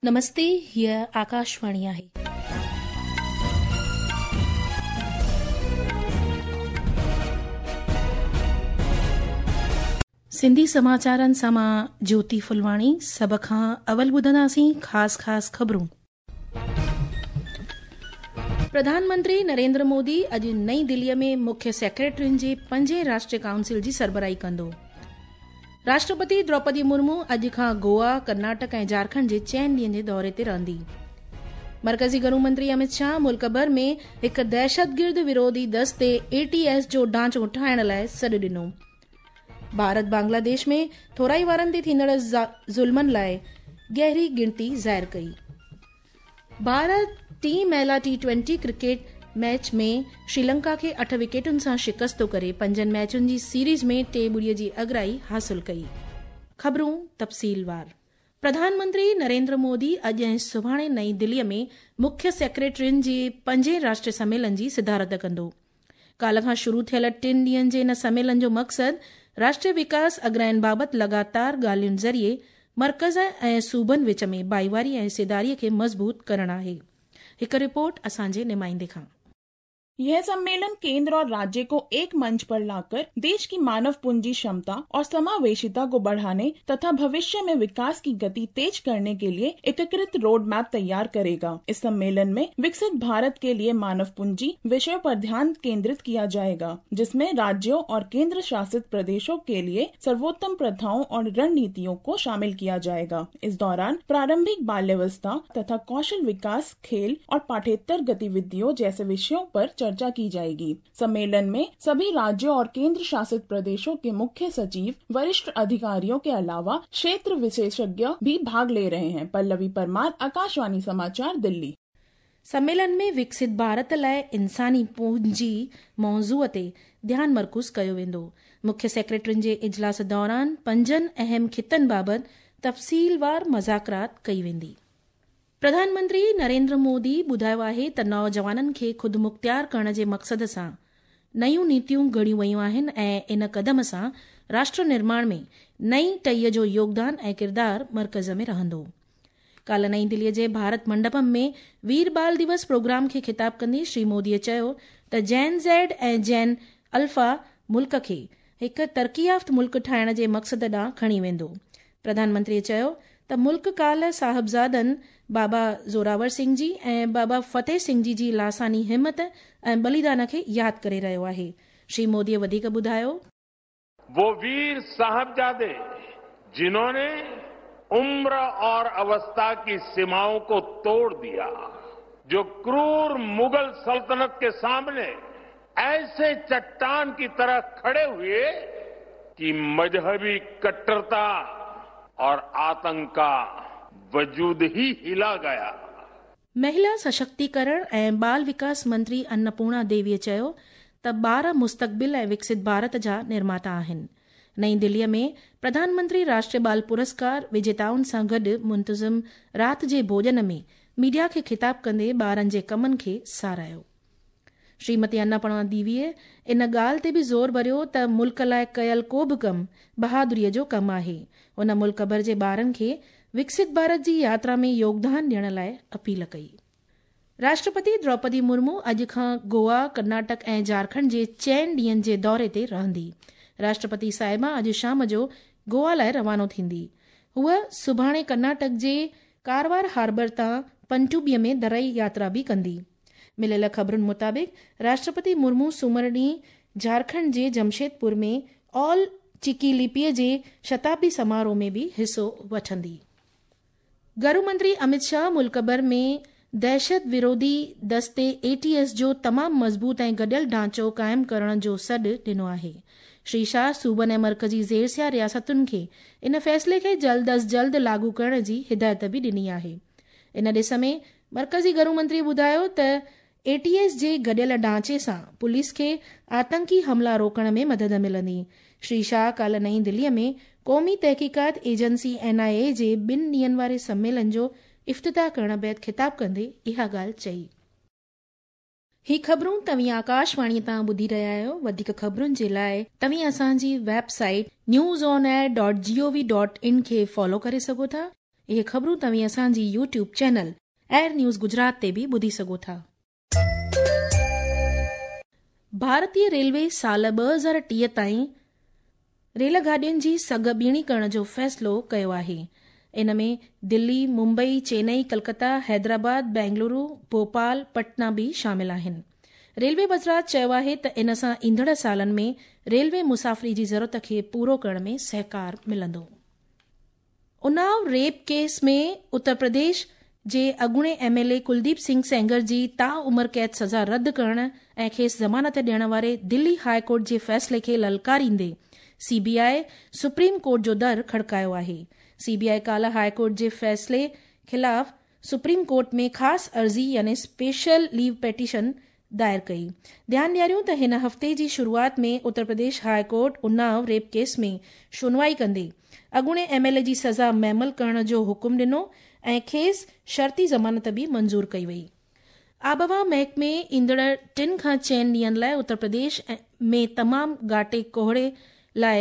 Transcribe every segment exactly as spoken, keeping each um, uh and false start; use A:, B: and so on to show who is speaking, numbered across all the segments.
A: नमस्ते, हीअ आकाशवाणी आहे। सिंधी समाचारनि सां मां ज्योति फुलवाणी। सभ खां अवल ॿुधंदासीं ख़ासि ख़ासि ख़बरूं। प्रधानमंत्री नरेंद्र मोदी अॼु नई दिल्लीअ में मुख्य सेक्रेटरियुनि जे पंजे राष्ट्रीय काउंसिल जी सरबराही कंदो। राष्ट्रपति द्रौपदी मुर्मू अॼु खां गोवा, कर्नाटक ऐं झारखंड जे चइनि ॾींहनि जे दौरे ते रहंदी। मरकज़ी घरू मंत्री अमित शाह मुल्क भर में हिकु दहशतगिर्द विरोधी दस्ते ए टी एस जो ढांचो ठाहिण लाइ सॾु ॾिनो। भारत बांग्लादेश में थोराई वारनि ते थींदड़ ज़ुल्मनि लाइ गहरी गिणती ज़ाहिर कई। भारत टी महिला टी ट्वेंटी क्रिकेट मैच में श्रीलंका खे अठ विकेटुनि सां शिकस्तो करे पंजनि मैचुनि जी सीरीज़ में टे ॿुड़ीअ जी अगराई हासिल कई। ख़बरूं तफ़सीलवार। प्रधानमंत्री नरेंद्र मोदी अॼु ऐं सुभाणे नई दिल्लीअ में मुख्य सेक्रेटरियुनि जे पंजे राष्ट्रीय सम्मेलन जी सिदारत कंदो। काल्ह खां शुरू थियल टिनि ॾींहनि जे इन सम्मेलन जो मक़सदु राष्ट्रीय विकास अगराइनि बाबति लगातार ॻाल्हियुनि ज़रिए मर्कज़ ऐं सूबनि विच में भाईवारी ऐं हिस्सेदारीअ खे मज़बूत करणु आहे। हिकु रिपोर्ट असांजे नुमाइंदे खां।
B: यह सम्मेलन केंद्र और राज्य को एक मंच पर लाकर देश की मानव पूंजी क्षमता और समावेशिता को बढ़ाने तथा भविष्य में विकास की गति तेज करने के लिए एकीकृत रोड मैप तैयार करेगा। इस सम्मेलन में विकसित भारत के लिए मानव पूंजी विषय पर ध्यान केंद्रित किया जाएगा, जिसमें राज्यों और केंद्र शासित प्रदेशों के लिए सर्वोत्तम प्रथाओं और रणनीतियों को शामिल किया जाएगा। इस दौरान प्रारंभिक बाल्यावस्था तथा कौशल विकास, खेल और पाठ्येतर गतिविधियों जैसे विषयों पर चर्चा की जाएगी। सम्मेलन में सभी राज्यों और केंद्र शासित प्रदेशों के मुख्य सचिव, वरिष्ठ अधिकारियों के अलावा क्षेत्र विशेषज्ञ भी भाग ले रहे हैं। पल्लवी परमार, आकाशवाणी समाचार, दिल्ली।
A: सम्मेलन में विकसित भारत लाइ इंसानी पूंजी मौज़ूअ ते ध्यानु मरकूज़ कयो वेंदो। मुख्य सेक्रेटरियुनि जे इजलास दौरान पंजनि अहम खितनि बाबति तफ़सीलवार मज़ाकरात कई वेंदी। प्रधानमंत्री नरेंद्र मोदी ॿुधायो आहे त नौजवाननि खे ख़ुदि मुख़्तियार करण जे मक़सद सां नयूं नीतियूं घड़ियूं वयूं आहिनि ऐं इन कदम सां राष्ट्र निर्माण में नई टहीअ जो योगदान ऐं किरदारु मर्कज़ में रहंदो। काल्ह नई दिल्लीअ जे भारत मंडपम में वीर बाल दिवस प्रोग्राम खे ख़िताब कंदे श्री मोदीअ चयो त जैन ज़ेड ऐं जैन अल्फा मुल्क खे हिकु तरक़ी याफ़्त मुल्क ठाहिण जे मक़सद ॾांहुं खणी वेंदो। प्रधानमंत्रीअ चयो त मुल्क काल्ह साहिबज़ादनि बाबा ज़ोरावर सिंह जी ऐं बाबा फ़तेह सिंह जी जी लासानी हिमत ऐं बलिदान खे यादि करे रहियो आहे। श्री मोदीअ वधीक ॿुधायो,
C: वो वीर साहबजादे जिन्होंने उम्र और अवस्था की सीमाओं को तोड़ दिया, जो क्रूर मुगल सल्तनत के सामने ऐसे चट्टान की तरह खड़े हुए कि मजहबी कट्टरता और आतंक का वजूद ही हिला गया।
A: महिला सशक्तिकरण ऐं बाल विकास मंत्री अन्नपूर्णा देवीअ चयो त ॿार मुस्तक़बिल ऐं विकसित भारत जा निर्माता आहिनि। नई दिल्लीअ में प्रधानमंत्री राष्ट्रीय बाल पुरस्कार विजेताउनि सां गॾु मुंतज़िम राति जे भोजन में मीडिया खे ख़िताब कंदे ॿारनि जे कमनि खे सराहियो। श्रीमती अन्नपूर्णा देवीअ इन ॻाल्हि ते बि ज़ोर भरियो त मुल्क लाइ कयल को बि कमु बहादुरीअ जो कमु आहे। उन मुल्क भर जे ॿारनि खे विकसित भारत जी यात्रा में योगदान ॾियण लाइ अपील कई। राष्ट्रपति द्रौपदी मुर्मू अॼु खां गोवा, कर्नाटक ऐं झारखंड जे चइनि ॾींहनि जे दौरे ते रहंदी। राष्ट्रपति साहिबा अॼु शाम जो गोवा लाइ रवानो थींदी। हूअ सुभाणे कर्नाटक जे कारवार हार्बर तां पनटुबीअ में दरई यात्रा बि कंदी। मिलियल ख़बरुनि मुताबिक़ राष्ट्रपति मुर्मू सूमर ॾींहुं झारखंड जे जमशेदपुर में ऑल चिकी लिपीअ जे शताब्दी समारोह में बि हिसो वठंदी। घरू मंत्री अमित शाह मुल्क भर में दहशत विरोधी दस्ते ए टी एस जो तमामु मज़बूत ऐं गॾियल ढांचो क़ाइमु करण जो सॾु ॾिनो आहे। श्री शाह सूबनि ऐं मर्कज़ी ज़ेरसिया रियासतुनि खे इन फ़ैसिले खे जल्द अज़ जल्द लागू करण जी हिदायत बि ॾिनी आहे। इन ॾिस में मर्कज़ी घरू मंत्री ॿुधायो त ए टी एस जे गॾियल ढांचे सां पुलिस खे आतंकी हमला रोकण में मदद मिलंदी। श्री शाह काल्ह नई दिल्लीअ में क़ौमी तहक़ीक़ात एजेंसी एन I ए जे ॿिनि ॾींहनि वारे सम्मेलन जो इफ़्तिताह करण बाद ख़िताब कंदे इहा ॻाल्हि चई। ही ख़बरूं तव्हीं आकाशवाणी तां ॿुधी रहिया आहियो। वधीक ख़बरुनि जे लाइ तव्हीं असांजी website news on air dot G O V dot in खे फॉलो करे सघो था। اهي خبرون توهين اسان جي YouTube channel AIR news Gujarat تي به ٻڌي سگهو ٿا. ڀارتيه ريلوي سال ٻه هزار ٽيهه تائين ريل گاڏين جي سگهه ٻيڻي ڪرڻ جو فيصلو ڪيو آهي. ان ۾ دلي، ممبئي، چينئي، ڪلڪتا، حيدرآباد، بينگلورو، ڀوپال، پٽنا به شامل آهن. ريلوي وزارت چيو آهي ته ان سان ايندڙ سالن ۾ ريلوي مسافري جي ضرورت کي پورو ڪرڻ ۾ سهڪار ملندو. اناو ريپ ڪيس ۾ اتر پرديش جي اڳوڻي M L A Kuldeep Singh Sengar جي تاعمر قيد سزا رد ڪرڻ ۽ کيس ضمانت ڏيڻ واري دلي هاء ڪورٽ جي فيصلي کي للڪاريندي C B I supreme court جو در کڙڪايو آهي. سي بي آء ڪالهه هاء ڪورٽ جي فيصلي خلاف سپريم ڪورٽ ۾ خاص عرضي يعني اسپيشل ليو پٽيشن دائر ڪئي. ڌيان ڏياريون ته هن هفتي جي شروعات ۾ Uttar Pradesh high court Unnao rape case ۾ شنوائي ڪندي اڳوڻي ايم ايل اي جي سزا معمل ڪرڻ جو حڪم ڏنو ۽ کيس شرطي ضمانت به منظور ڪئي وئي. آبهوا محڪمي ايندڙ ٽن کان چئن ڏينهن لاء اتر پرديش ۾ تمام گهاٽي ڪوهيڙي لاء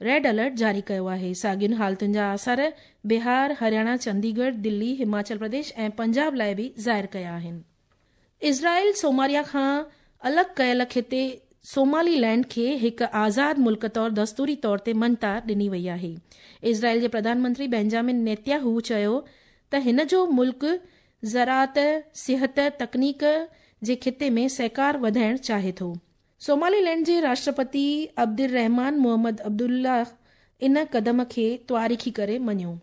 A: ريڊ الرٽ جاري ڪيو آهي. ساڳين حالتن جا آثار بهار، هرياڻا، چنديڳڙهه، دلي، هماچل پرديش ۽ پنجاب لاء به ظاهر ڪيا آهن. اسرائيل سوماليا کان الڳ ڪيل خطي سومالي لينڊ کي هڪ آزاد ملڪ طور دستوري طور تي مڃتا ڏني وئي آهي. اسرائيل جي پرڌان منتري بينجامن نيتياهو چيو ته هن جو ملڪ زراعت، صحت، تڪنيڪ جي خطي ۾ سهڪار وڌائڻ چاهي ٿو. سومالي لينڊ جي راشٽرپتي عبدالرحمان محمد عبدالله ان قدم کي تواريخي ڪري مڃيو.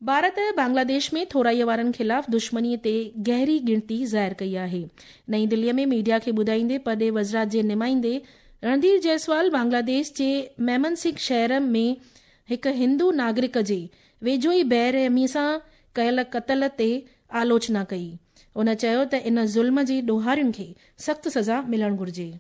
A: ڀارت بنگلاديش ۾ ٿورائي وارن خلاف دشمني تي گهري ڳڻتي ظاهر ڪئي آهي. نئين دلي ۾ ميڊيا کي ٻڌائيندي پرڏيهه وزارت جي نمائندي رڻڌير جئسوال بنگلاديش جي ميمنسنگهه شهر ۾ هڪ هندو ناگرڪ جي ويجهو ئي بيرحمي سان ڪيل قتل تي آلوچنا ڪئي. ان چيو ته ان ظلم جي ڏوهارين کي سخت سزا ملڻ گهرجي.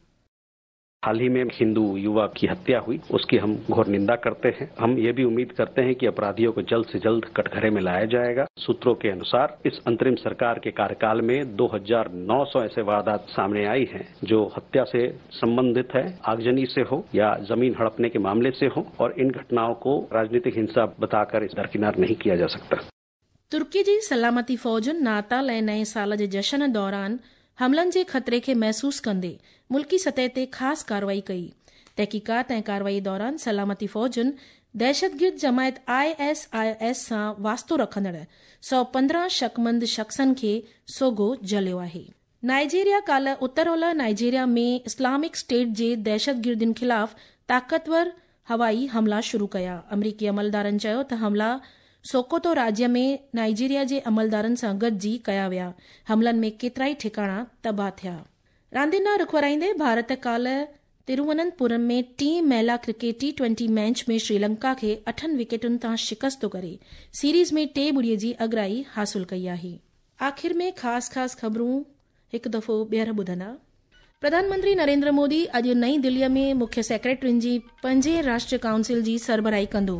D: हाल ही में हिंदू युवा की हत्या हुई, उसकी हम घोर निंदा करते हैं। हम ये भी उम्मीद करते हैं कि अपराधियों को जल्द से जल्द कटघरे में लाया जाएगा। सूत्रों के अनुसार इस अंतरिम सरकार के कार्यकाल में दो हज़ार नौ सौ ऐसे वारदात सामने आई हैं जो हत्या से संबंधित है, आगजनी से हो या जमीन हड़पने के मामले से हो, और इन घटनाओं को राजनीतिक हिंसा बताकर इस दरकिनार नहीं किया जा सकता।
A: तुर्की जी सलामती फौजुनि नाताल ऐं नए साल जे जशन दौरान हमलनि जे ख़तरे खे महसूस कंदे मुल्की सतह ते ख़ासि कार्रवाई कई। तहक़ीक़ात ऐं कार्रवाई दौरान सलामती फौजुनि दहशतगिर्द जमायत I S I S सां वास्तो रखंदड़ सौ पंद्रहं शकमंद शख़्सनि खे सोघो जलियो आहे। नाइजीरिया काल्ह उत्तर ओलह नाइजीरिया में इस्लामिक स्टेट जे दहशतगिर्दनि ख़िलाफ़ ताक़तवर हवाई हमला शुरू कया। अमरीकी अमलदारनि चयो त हमला सोकोतो राज्य में नाइजीरिया जे अमलदारनि सां गॾिजी कया विया। हमलनि में केतिराई ठिकाणा तबाह थिया। रांदियुनि ॾांहुं रुख वराईंदे भारत काल्ह तिरुवनंतपुरम में टीं महिला क्रिकेट टी ट्वेंटी मैच में श्रीलंका खे अठनि विकेटुनि तां शिकस्त करे सीरीज़ में टे ॿुड़ीअ जी अगराई हासिल कई आहे। आख़िर में ख़ासि ख़ासि ख़बरूं हिकु दफ़ो ॿीहर ॿुधंदा। प्रधानमंत्री नरेंद्र मोदी अॼु नई दिल्लीअ में मुख्य सेक्रेटरियुनि जी पंजे राष्ट्रीय काउंसिल जी सरबराही कंदो।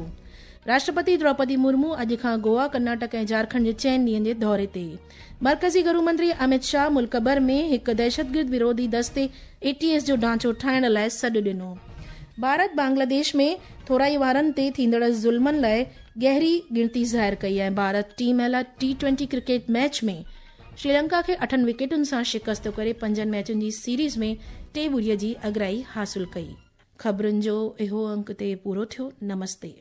A: राष्ट्रपति द्रौपदी मुर्मू अॼु खां गोवा, कर्नाटक ऐं झारखंड जे चइनि ॾींहंनि जे दौरे ते। मर्कज़ी गृह मंत्री अमित शाह मुल्क भर में हिकु दहशतगिर्द विरोधी दस्ते ए टी एस जो ढांचो ठाहिण लाइ सॾु ॾिनो। भारत बांग्लादेश में थोराई वारनि ते थींदड़ ज़ुल्मनि लाइ गहरी गिणती ज़ाहिर कई ऐं भारत टी महिला टी ट्वेंटी क्रिकेट मैच में श्रीलंका खे अठनि विकेटुनि सां शिकस्त करे पंजनि मैचुनि जी सीरीज़ में टे ॿुड़ीअ जी अगराई हासिल कई। ख़बरुनि जो इहो अंक ते पूरो थियो। नमस्ते।